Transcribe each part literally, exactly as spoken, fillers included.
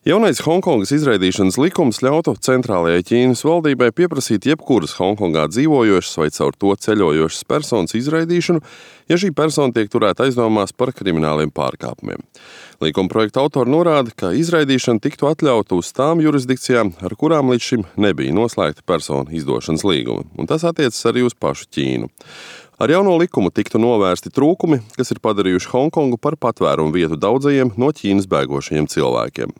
Jaunais Hongkongas izraidīšanas likums ļautu centrālajai Ķīnas valdībai pieprasīt jebkuras Hongkongā dzīvojošas vai caur to ceļojošas personas izraidīšanu, ja šī persona tiek turēta aizdomās par krimināliem pārkāpumiem. Likuma projekta autori norāda, ka izraidīšana tiktu atļauta uz tām jurisdikcijām, ar kurām līdz šim nebija noslēgta personu izdošanas līguma, un tas attiecas arī uz pašu Ķīnu. Ar jauno likumu tiktu novērsti trūkumi, kas ir padarījuši Hongkongu par patvērumu vietu daudzajiem no Ķīnas bēgošajiem cilvēkiem.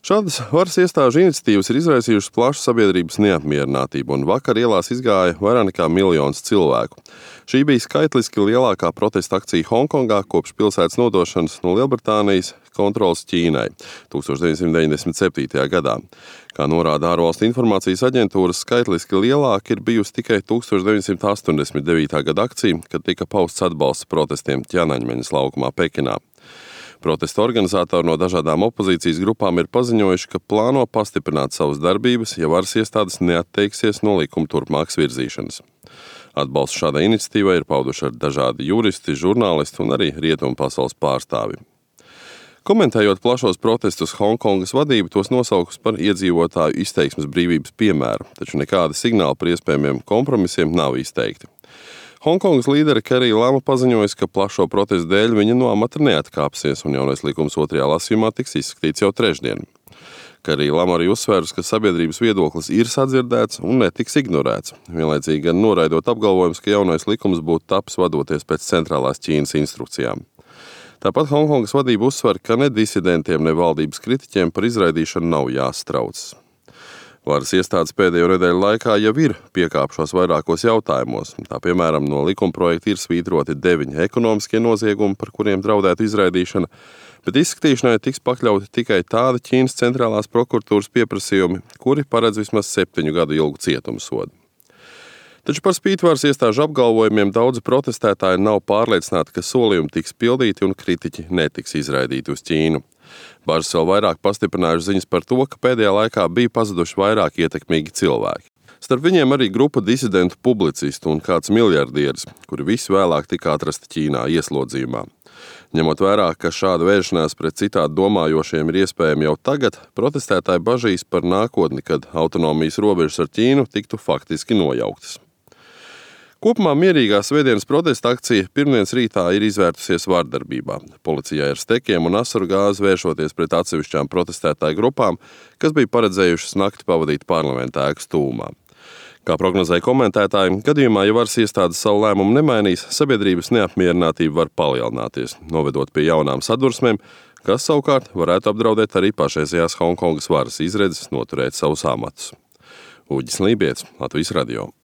Šādas varas iestāžu iniciatīvas ir izraisījušas plašu sabiedrības neapmierinātību, un vakar ielās izgāja vairāk nekā miljons cilvēku. Šī bija skaitliski lielākā protesta akcija Hongkongā kopš pilsētas nodošanas no Lielbritānijas kontroles Ķīnai tūkstoš deviņsimt deviņdesmit septītajā gadā. Kā norāda ārvalstu informācijas aģentūras, skaitliski lielāka ir bijusi tikai tūkstoš deviņsimt astoņdesmit devītā gada akcija, kad tika pausts atbalsts protestiem Ķianaņmeņas laukumā Pekinā. Protesta organizatori no dažādām opozīcijas grupām ir paziņojuši, ka plāno pastiprināt savas darbības, ja varas iestādes neatteiksies no likuma turpmākas virzīšanas. Atbalstu šādai iniciatīvai ir pauduši arī dažādi juristi, žurnālisti un arī rietumu pasaules pārstāvji. Komentējot plašos protestus, Hongkongas vadība tos nosaukus par iedzīvotāju izteiksmes brīvības piemēru, taču nekādi signāli par iespējamiem kompromisiem nav izteikti. Hongkongas līdere Kerija Lama paziņojas, ka plašo protestu dēļ viņa no amata neatkāpsies, un jaunais likums otrajā lasījumā tiks izskatīts jau trešdien. Kerija Lama arī uzsvērs, ka sabiedrības viedoklis ir sadzirdēts un netiks ignorēts, vienlaicīgi gan noraidot apgalvojums, ka jaunais likums būtu tapis vadoties pēc centrālās Ķīnas instrukcijām. Tāpat Hongkongas vadība uzsver, ka ne disidentiem, ne valdības kritiķiem par izraidīšanu nav jāstraucas. Varas iestādes pēdējo nedēļu laikā jau ir piekāpšos vairākos jautājumos. Tā piemēram, no likuma projekta ir svītroti deviņi ekonomiskie noziegumi, par kuriem draudētu izraidīšana, bet izskatīšanai tiks pakļauti tikai tādi Ķīnas centrālās prokuratūras pieprasījumi, kuri paredz vismaz septiņu gadu ilgu cietumsodu. Taču par spīti varas iestāžu apgalvojumiem daudzi protestētāji nav pārliecināti, ka solījumi tiks pildīti un kritiķi netiks izraidīti uz Ķīnu. Bažas vēl vairāk pastiprinājuši ziņas par to, ka pēdējā laikā bija pazuduši vairāk ietekmīgi cilvēki. Starp viņiem arī grupa disidentu publicistu un kāds miljardieris, kuri visi vēlāk tika atrasti Ķīnā ieslodzījumā. Ņemot vērā, ka šāda vēršanās pret citādi domājošiem ir iespējama jau tagad, protestētāji bažīs par nākotni, kad autonomijas robežas ar Ķīnu tiktu faktiski nojauktas. Kopumā mierīgā svētdienas protesta akcija pirmdienas rītā ir izvērtusies vardarbībā. Policijai ar stekiem un asaru gāzi vēršoties pret atsevišķām protestētāju grupām, kas bija paredzējušas nakti pavadīt parlamentā ēkas tūmā. Kā prognozēja komentētāji, gadījumā, ja varas iestādes savu lēmumu nemainīs, sabiedrības neapmierinātība var palielināties, novedot pie jaunām sadursmēm, kas savukārt varētu apdraudēt arī pašreizējās Hongkongas varas izredzes noturēt savus amatus. Uģis Lībijets, Latvijas radio.